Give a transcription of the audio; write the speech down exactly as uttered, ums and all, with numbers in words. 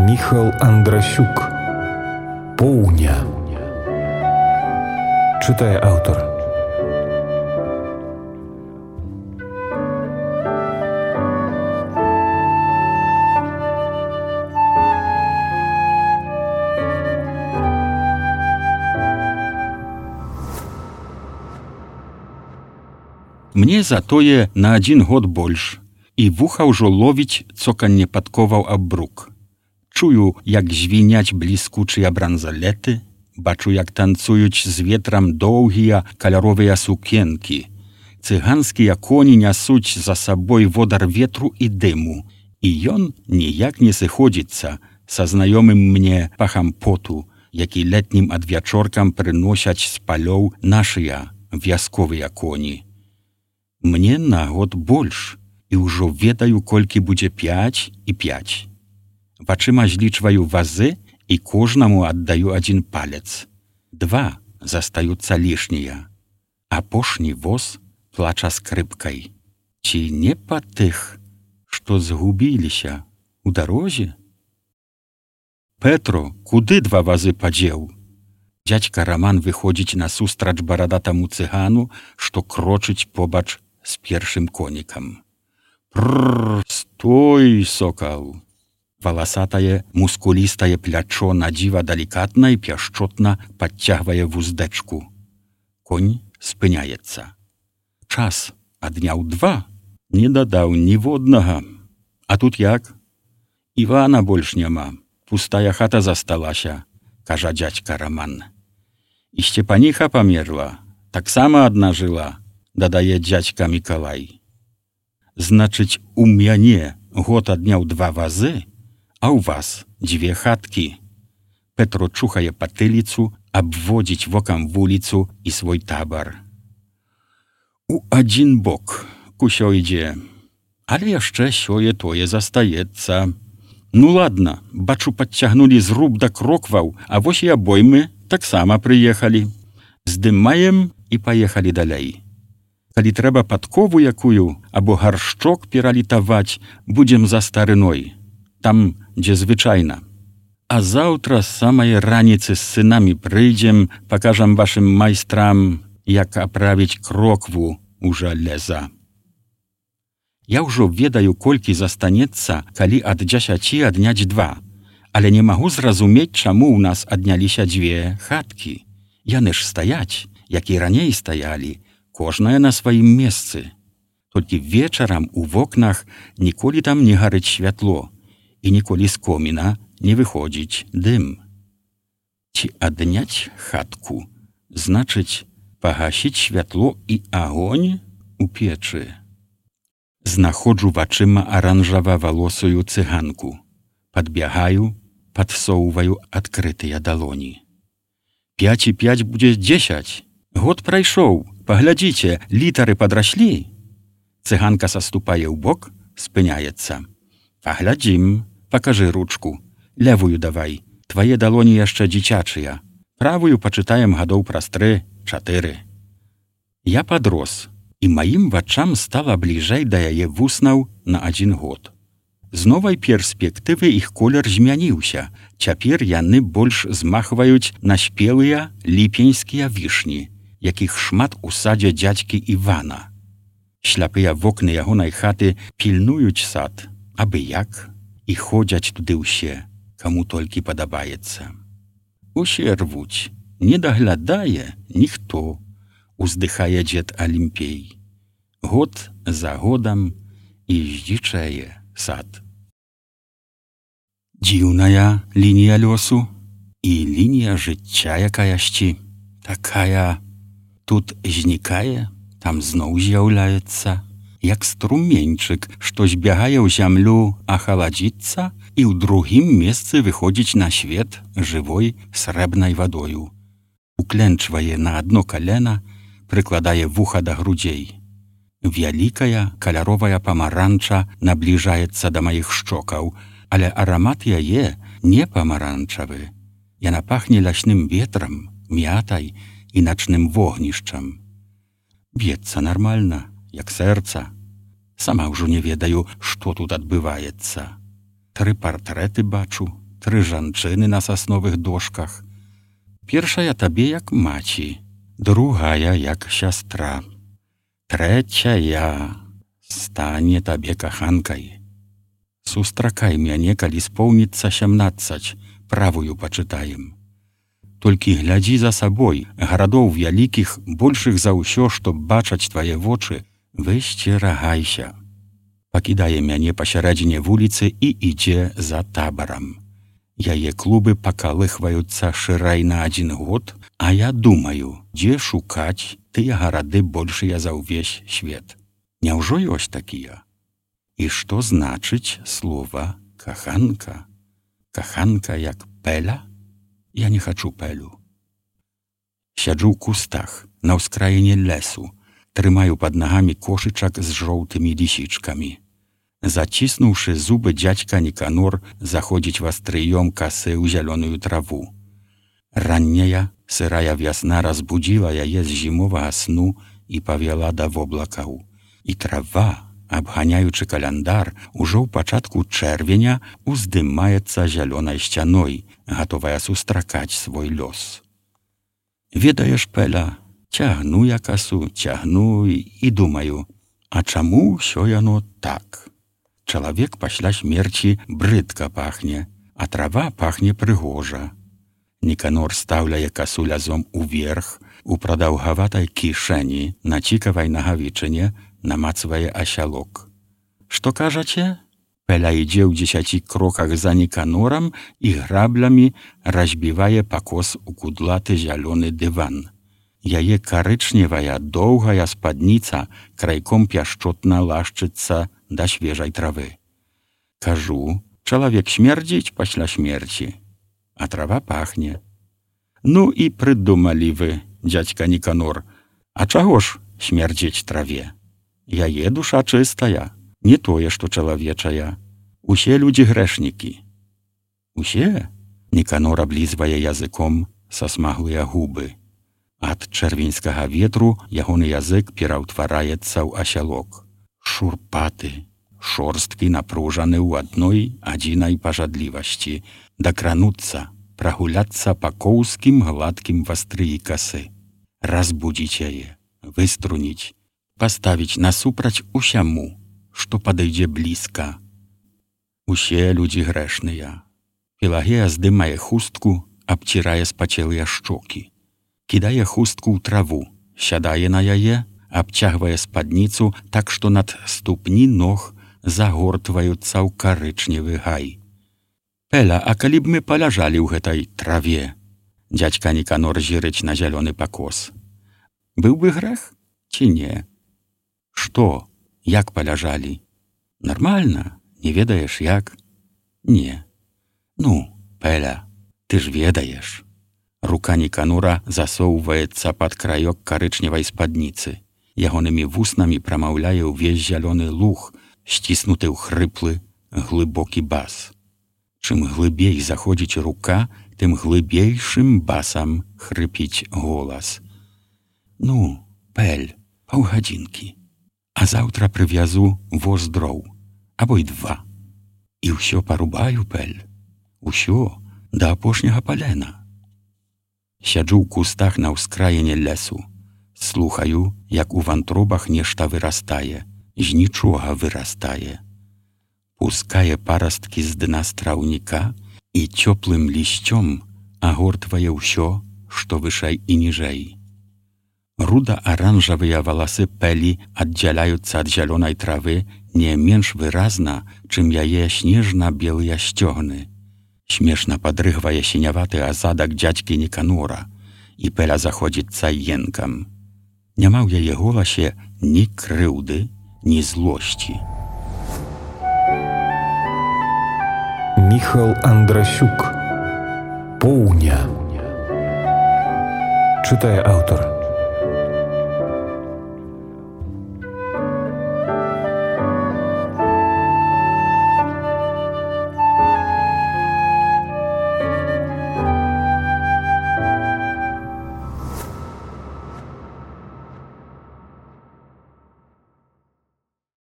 Міхал Андрасюк. Поўня. Чытае аўтар. Мне затое на адзін год больш, і вуха ўжо ловіць цоканне падковаў аб брук. Чую, як звіняць бліскучыя бранзалеты, бачу, як танцуюць з ветрам доўгія каляровыя сукенкі. Цыганскія коні нясуць за сабой водар ветру і дыму, і ён ніяк не сыходзіцца са знаёмым мне пахам поту, які летнім адвячоркам прыносяць з палёў нашыя вясковыя коні. Мне на год больш, і ўжо ведаю, колькі будзе пяць і пяць. Вачыма злічваю вазы і кожнаму аддаю адзін палец. Два застаюцца лішнія. Апошні воз плача скрыпкай. Ці не па тых, што згубіліся ў дарозе? Петро, куды два вазы падзеў? Дзядзька Раман выходзіць насустрач барадатаму цыгану, што крочыць побач з першым конікам. Прррр, стой, сокал! Валасатае, мускулістае плячо надзіва далікатна і пяшчотна падцягвае вуздэчку. Конь спыняецца. Час адняў два, не дадаў ніводнага. А тут як? Івана больш няма, пустая хата засталася, кажа дзядзька Раман. І Сцепаніха памерла, таксама адна жыла, дадае дзядзька Мікалай. Значыць, у мяне год адняў два вазы, а ў вас дзве хаткі. Петро чухае патыліцу, абводзіць вокам вуліцу і свой табар. У адзін бок усё ідзе, але яшчэ сёе-тое застаецца. Ну ладно, бачу, падцягнулі зруб да крокваў, а вось і абоймы таксама прыехалі. Здымаем і паехалі далей. Калі трэба падкову якую або гаршчок пералітаваць, будзем за старыной, там, дзе звычайна. А заўтра з самай раніцы з сынамі прыйдзем, пакажам вашым майстрам, як аправіць крокву ў жалеза. Я ўжо ведаю, колькі застанецца, калі ад дзесяці адняць два, але не магу зразумець, чаму ў нас адняліся дзве хаткі. Яны ж стаяць, як і раней стаялі, кожная на сваім месцы. Толькі вечарам у вокнах ніколі там не гарыць святло, і ніколі з коміна не выходзіць дым. Ці адняць хатку, значыць, пагасіць святло і агонь у печы. Знаходжу вачыма аранжава-валосую цыганку. Падбягаю, падсоўваю адкрытыя далоні. Пяць і пяць будзе дзесяць. Год прайшоў, паглядзіце, літары падраслі. Цыганка саступае ў бок, спыняецца. Паглядзім, пакажы ручку. Левую давай, твае далоні яшчэ дзіцячыя. Правую пачытаем гадоў праз тры, чатыры. Я падрос, і маім вачам стала бліжэй да яе вуснаў на адзін год. З новай перспектывы іх колер змяніўся. Цяпер яны больш змахваюць на спелыя ліпеньскія вішні, якіх шмат у садзе дзядзькі Івана. Шляпыя вокны ягонай хаты пільнуюць сад, абы як, і ходзяць туды ўсе, каму толькі падабаецца. Усе рвуць, не даглядае ніхто, уздыхае дзед Алімпей. Год за годам і здзічае сад. Дзіўная лінія лёсу і лінія жыцця якаясьці. Такая тут знікае, там зноў з'яўляецца, як струменьчык, што збягае ў зямлю ахаладзіцца і ў другім месцы выходзіць на свет жывой срэбнай вадою. Укленчвае на адно калена, прыкладае вуха да грудзей. Вялікая каляровая памаранча набліжаецца да маіх шчокаў, але арамат яе не памаранчавы. Яна пахне лясным ветрам, мятай і начным вогнішчам. Б'ецца нармальна, як сэрца. Сама ўжо не ведаю, што тут адбываецца. Тры партрэты бачу, тры жанчыны на сасновых дошках. Першая табе як маці, другая як сястра, трэцяя стане табе каханкай. Сустракай мяне, калі споўніцца сямнаццаць, правую пачытаем. Толькі глядзі за сабой, гарадоў вялікіх, большых за ўсё, што бачаць твае вочы, высцерагайся. Пакідае мяне пасярэдзіне вуліцы і ідзе за табарам. Яе клубы пакалыхваюцца шырай на адзін год, а я думаю, дзе шукаць тыя гарады большыя за ўвесь свет. Няўжо ёсць такія? І што значыць слова каханка? Каханка як пэля? Я не хачу пэлю. Сяджу ў кустах, на ўскраіне лесу, трымаю пад нагамі кошычак з жоўтымі лісічкамі. Заціснуўшы зубы, дзядзька Ніканор заходзіць вастрыём касы ў зялёную траву. Ранняя, сырая вясна разбудзіла яе з зімовага сну і павяла да воблакаў. І трава, абганяючы каляндар, ужо ў пачатку чэрвеня уздымаецца зялёнай сцяной, гатовая сустракаць свой лёс. Ведаеш, Пэля, цягну я касу, цягну і думаю, а чаму ўсё яно так? Чалавек пасля смерці брыдка пахне, а трава пахне прыгожа. Ніканор стаўляе касу лязом уверх, у прадаўгаватай кішэні, на цікавай нагавічыне, намацвае асялок. Што кажаце? Пэля ідзе ў дзесяці кроках за Ніканорам і граблямі разбівае пакос у кудлаты зялёны дыван. Яе карычневая доўгая спадніца крайком пяшчотна лашчыцца да свежай травы. Кажу, чалавек смердзіць пасля смерці, а трава пахне. Ну і прыдумалі вы, дзядзька Ніканор, а чаго ж смердзіць траве? Яе душа чыстая, не тое, што чалавечая. Усе людзі грэшнікі. Усе? Ніканор аблізвае языком сасмаглыя губы. Ад чэрвеньскага ветру ягоны язык пераўтвараецца ў асялок. Шурпаты, шорсткі напружаны ў адной адзінай пажадлівасці, дакрануцца, прагуляцца па коўскім гладкім вастрыі касы, разбудзіць яе, выструніць, паставіць насупраць усяму, што падыдзе блізка. Усе людзі грэшныя. Пелагея здымае хустку, абцірае спацелыя шчокі. Кідае хустку ў траву, сядае на яе, абцягвае спадніцу так, што над ступні ног загортваюцца ў карычневы гай. Пэля, а калі б мы паляжалі ў гэтай траве? Дзядзька Ніканор зірыць на зялёны пакос. Быў бы грэх ці не? Што? Як паляжалі? Нармальна? Не ведаеш, як? Не. Ну, Пэля, ты ж ведаеш. Рука Ніканора засоўваецца пад краёк карычневай спадніцы. Ягонымі вуснамі прамаўляе ўвесь зялёны луг, сціснуты ў хрыплы, глыбокі бас. Чым глыбей заходзіць рука, тым глыбейшым басам хрыпіць голас. Ну, Пэль, паўгадзінкі. А заўтра прывязу воз дроў, або й два. І ўсё парубаю, Пэль. Усё да апошняга палена. Сяджу ў кустах на ўскраіне лесу. Слухаю, як у вантробах нешта вырастае, з нічога вырастае. Пускае парасткі з дна страўніка і цёплым лісцём агортвае ўсё, што вышэй і ніжэй. Руда-аранжавыя валасы Пэлі аддзяляюцца ад зялёнай травы не менш выразна, чым яе снежна-белыя сцёгны. Смешна падрыгвае сіняваты азадак дзядзькі Ніканора, і Пэля заходзіцца енкам. Няма ў яе голасе ні крыўды, ні злосці. Міхал Андрасюк. Поўня. Чытае аўтар.